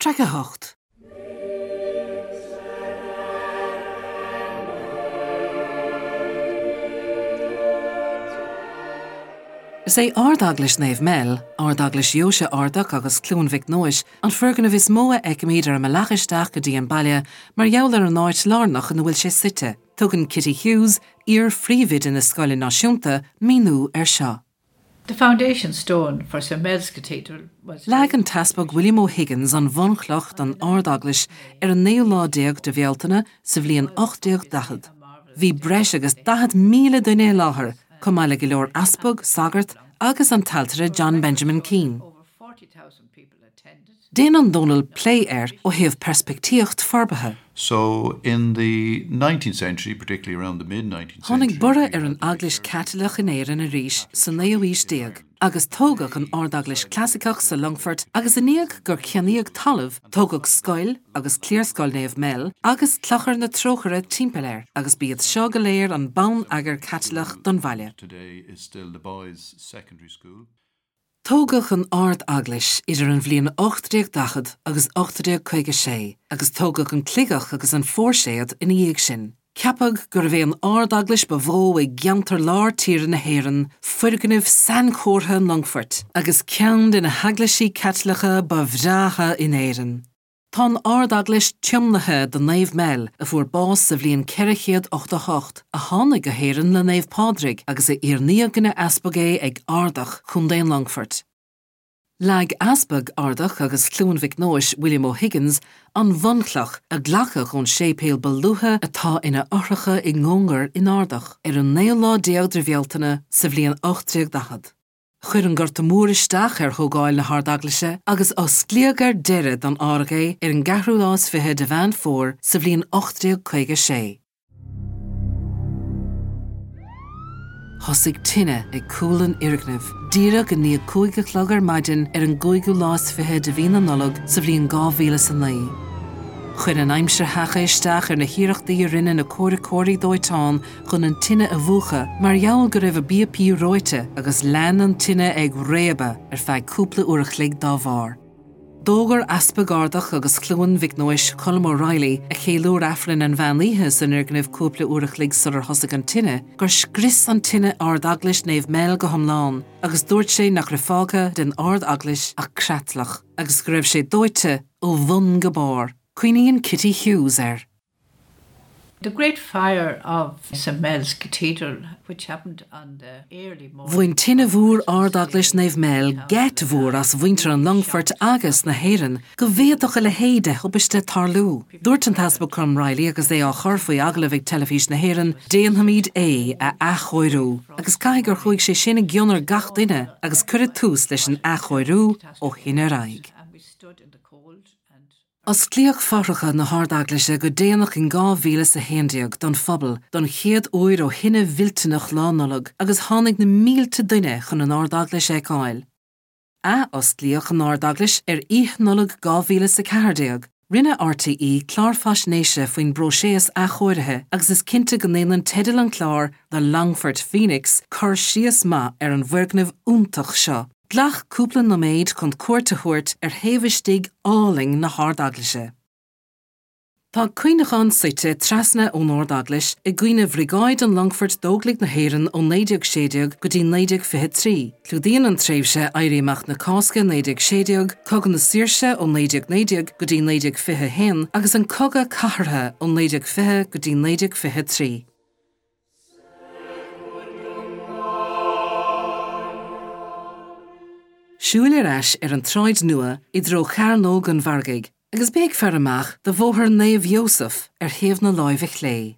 Traic 8. Is é Ard-Eaglais Naomh Mel, Ard-Eaglais Dheoise Ardach agus Cluain Mhic Nóis, an foirgneamh is mó a fheicimid ar an mbealach isteach go dtí an baile mar gheall ar an áit lárnach ina bhfuil sé suite. Tugann Kitty Hughes, iar-phríomhoide na Scoile Náisiúnta, míniú air seo. The foundation stone for St Mel's Cathedral was. Leag an tEaspag William O'Higgins an bhunchloch don Ard-Eaglais ar an naoú lá déag de Bhealtaine sa bhliain 1840. Bhí breis agus 40,000 duine i láthair, chomh maith le go leor easpag, sagart agus an t-ailtire John Benjamin Keane. Déanann Dónal plé air ó thaobh peirspictíocht forbartha. So in the nineteenth century, particularly around the mid nineteenth century. Tháinig borradh ar an Eaglais Chaitliceach in Éirinn arís sa naoú haois déag agus tógadh an Ard-Eaglais Chlasaiceach sa Longfort agus i ndiaidh gur ceannaíodh talamh, tógadh scoil agus Cliarscoil Naomh Mel agus Clochar na Trócaire timpeall air agus b'iad seo go léir an bonn-eagar Caitliceach don bhaile. Today is still the boys' secondary school. Tógadh an Ard-Eaglais idir an bhliain 1840 agus 1856 agus tógadh an Cligeach agus an Phóirséad ina dhiaidh sin. Ceapadh gurbh é an Ard-Eaglais ba mhó i gceantar lár tíre na hÉireann, foirgneamh sainchomhartha an Longfoirt, agus ceann de na heaglaisí Caitliceacha ba bhreátha in Éirinn. Tá an Ard-Eaglais tiomnaithe do Naomh Mel, a fuair bás sa bhliain 488, a tháinig go hÉirinn le Naomh Pádraig agus a oirníodh ina easpag é ag Ardach, Contae an Longfoirt. Leag Easpag Ardach agus Chluain Mhic Nóis, William O'Higgins, an bhunchloch, a glacadh ón séipéal ba luaithe atá ina fhothracha i gcóngar in Ardach, ar an naoú lá déag de Bhealtaine sa bhliain 1840. Chuir an Gorta Mór isteach ar thógáil na hArd-Eaglaise agus osclaíodh ar deireadh don fhearg é ar an gceathrú lá is fiche de Mheán Fómhair sa bhliain 1856. Thosaigh tine ag cúl an fhoirgnimh díreach i ndiaidh 5 a chlog ar maidin ar an gcúigiú lá is fiche de mhí na Nollag sa bhliain 2009. Chuir an aimsir sheacha isteach ar na hiarrachtaí a rinne na comhraiceoirí dóiteáin chun an tine a mhúchadh mar gheall go raibh a bpíopaí reoite agus lean an tine ag réabadh ar feadh cúpla uair a chloig dá bharr. D'fhógair Easpag Ardach agus Chluain Mhic Nóis, Colm O'Reilly, a cheiliúir Aifreann an mheán oíche san fhoirgneamh cúpla uair a chloig sular thosaigh an tine, gur scrios an tine Ard-Eaglais Naomh Mel go hiomlán agus dúirt sé nach raibh fágtha den Ard-Eaglais ach creatlach agus go raibh sé dóite ó bhun go barr. Cuimhníonn Kitty Hughes air. The great fire of St Mel's Cathedral which happened on the early morning. Bhain tine mhór Ard-Eaglais Naomh Mel geit mhór as mhuintir an Longfoirt agus na hÉireann go bhféadfadh a leithéid de thubaiste tarlú. Dúirt an tEaspag Colm Reilly agus é á chur faoi agallamh ag Teilifís na hÉireann, Déanfaimid é a athchóiriú agus caithfidh gur chuaigh sé sin i gcion ar gach duine agus cuireadh tús leis an athchóiriú ó shin ar aghaidh. Osclaíodh fothracha na hArd-Eaglaise go déanach in 2011 don phobal don chéad uair ó thine mhillteanach Lá Nollag agus tháinig na mílte duine chun an Ard-Eaglais a fheiceáil. Ath-osclaíodh an Ard-Eaglais ar Oíche Nollag 2014. Rinne RTÉ clár faisnéise faoin bpróiseas athchóirithe agus is cinnte go ndéanann teideal an chláir The Longfort Phoenix cur síos maith ar an bhfoirgneamh iontach seo. Glac cúpla nóiméad chun cuairt a thabhairt ar thaobh istigh álainn na hArd-Eaglaise. Tá cuimhneachán suite trasna ón Ard-Eaglais i gcuimhne Bhriogáid an Longfoirt d'Óglaigh na hÉireann ó 1916 go dtí 1923. Clúdaíonn an tréimhse Éirí Amach na Cásca 1916, Cogadh na Saoirse ó 1919 go dtí 1921 agus an Cogadh Cathartha ó 1920 go dtí 1923. Siúil ar ais ar an tSráid Nua i dtreo Chearnóg an Mhargaidh agus bí ag faire amach do Bhóthar Naomh Iósaf ar thaobh na láimhe chlé.